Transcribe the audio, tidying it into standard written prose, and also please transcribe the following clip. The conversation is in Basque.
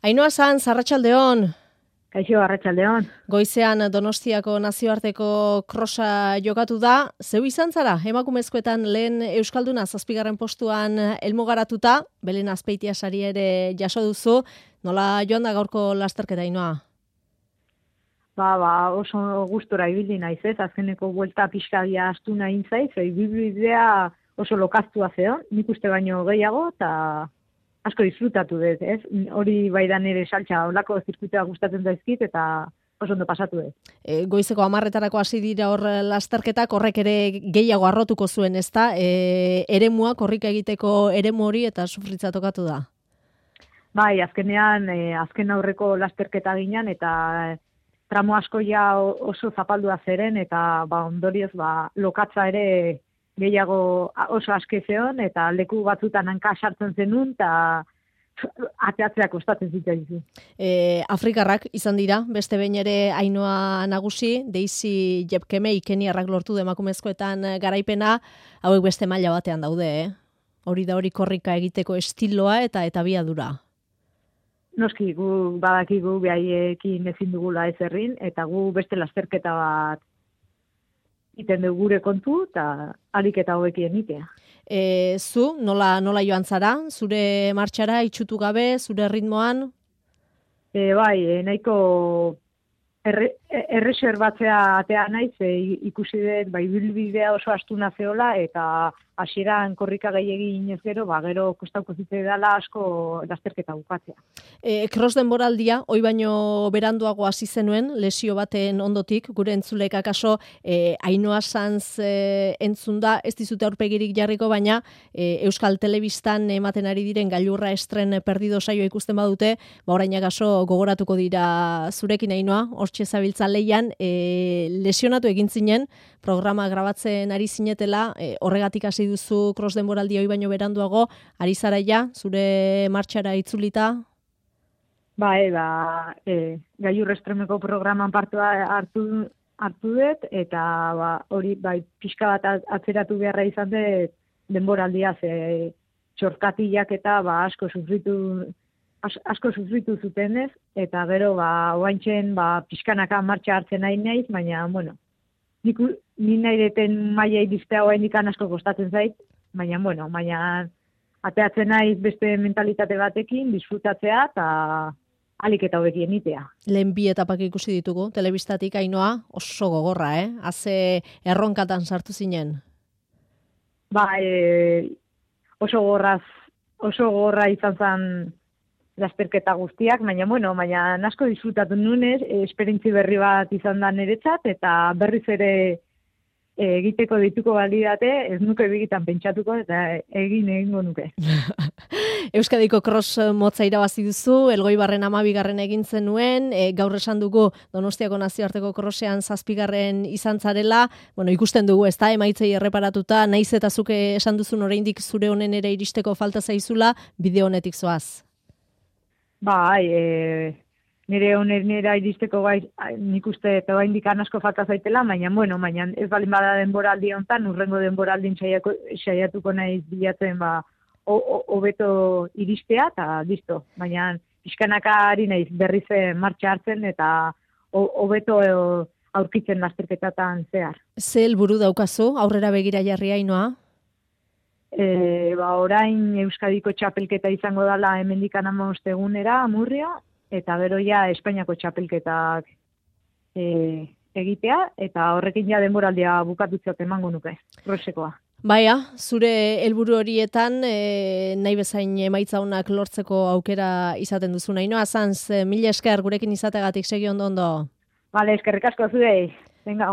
Ainhoa Sanz, arratsaldeon. Kaixo, arratsaldeon. Goizean Donostiako nazioarteko krosa jokatu da. Zeu izan zara, emakumezkoetan lehen Euskalduna 7. postuan helmugaratuta, Belen Azpeitia sari ere jaso duzu. Nola joan da gaurko lasterketa, Ainhoa? Oso gustora ibili naiz, ez? Azkeneko buelta pixkagia astu nahi zaiz, ibilbidea oso lokaztua zeon, nik uste baino gehiago, eta asko disfrutatu dut, ez? Hori bai da nire saltza, holako zirkuitua gustatzen zaizkit, eta oso ondo pasatu dut. Goizeko 10:00 hasi dira hor lasterketak, horrek ere gehiago harrotuko zuen, ezta? Eremuak, korrika egiteko eremu hori eta sufritza tokatu da. Bai, azkenean, azken aurreko lasterketa ginen, eta tramo asko ja oso zapaldua zeren, eta ondorioz lokatza ere gehiago oso aske zeon, eta leku batzutan hanka sartzen zenun, eta ateatzea kostatzen zitzaizu. Afrikarrak izan dira, beste behin ere Ainhoa nagusi, Daisy Jepkemei keniarrak lortu du emakumezkoetan garaipena, hauek beste maila batean daude, Hori da hori korrika egiteko estiloa eta abiadura. Noski, gu badakigu behaiekin ezin dugula ez errin, eta gu beste lasterketa bat iten dugu gure kontu, eta alik eta hobekien itea. Zu, nola joan zara? Zure martxara, itxutu gabe, zure ritmoan? Nahiko erreserbatzea atea naiz, ikusi dut, ibilbidea oso astuna zeola, eta hasieran korrika gehiegi inez gero, gero kostauko zitzaidala asko lasterketa bukatzea. Cross denboraldia, hoi baino beranduago hasi zenuen, lesio baten ondotik, gure entzulek akaso Ainhoa Sanz entzunda, ez dizute aurpegirik jarriko, baina Euskal Telebistan ematen ari diren gailurra estren perdido saioa ikusten badute, orain akaso gogoratuko dira zurekin Ainhoa, hortxe zabiltza leian, lesionatu egin zinen, programa grabatzen ari zinetela, horregatik hasi duzu cross denboraldi hoi baino beranduago, ari zara ja, zure martxara itzulita? Gailur estremeko programan partua hartu dut, eta hori pixka bat atzeratu beharra izan dut denboraldia, txorkatillak eta asko sufritu zutenez, eta gero oaintzen pixkanaka martxa hartzen nahi naiz, baina, ni nahi deten maila iristea oaindikan asko kostatzen zait, baina ateatzen naiz beste mentalitate batekin, disfrutatzea, eta alik eta hobekien itea. Lehen bi etapak ikusi ditugu, telebistatik Ainhoa, oso gogorra, Haze erronkatan sartu zinen. Oso gogorra izan zen lasterketa guztiak, baina asko disfrutatu nunez, esperientzi berri bat izan da niretzat, eta berriz ere egiteko dituko balidate, ez nuke bigitan pentsatuko, eta egingo nuke. Euskadiko cross motza irabazi duzu, Elgoibarren 12. egin zenuen, gaur esan dugu Donostiako nazioarteko crossean 7. izan zarela, ikusten dugu, ez da, emaitzei erreparatuta, naiz eta zuke esan duzun oraindik zure honen ere iristeko falta zaizula, bide honetik zoaz. Nire honera iristeko nik uste eta oraindik asko falta zaitela, baina ez balin bada denboraldi hontan, urrengo denboraldin saiatuko naiz bilatzen hobeto iristea, eta listo. Baina pixkanaka ari naiz berriz martxa hartzen, eta hobeto aurkitzen lasterketatan zehar. Ze helburu daukazu, aurrera begira jarri Ainhoa? Orain Euskadiko txapelketa izango dela hemendik 15 egunera, Amurrio, eta gero ja Espainiako txapelketak egitea, eta horrekin ja denboraldia bukatutzeak emango nuke, crossekoa. Zure helburu horietan nahi bezain emaitza onak lortzeko aukera izaten duzu. Ainhoa Sanz, mila esker gurekin izategatik, segi ondo. Eskerrik asko zuei. Venga,